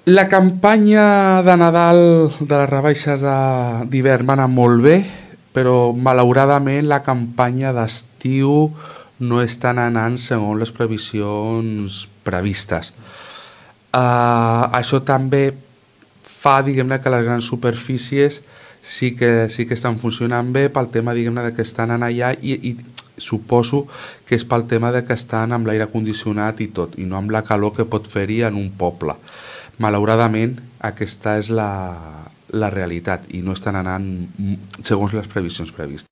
La campanya de Nadal de les rebaixes d'hivern va anar molt bé, però malauradament la campanya d'estiu no estan anant segons les previsions previstes. Això també fa, diguem-ne, que les grans superfícies sí que estan funcionant bé pel tema, diguem-ne, de que estan en allà i suposo que és pel tema de que estan amb l'aire condicionat i tot, i no amb la calor que pot fer-hi en un poble. Malauradament, aquesta és la realitat i no estan anant segons les previsions previstes.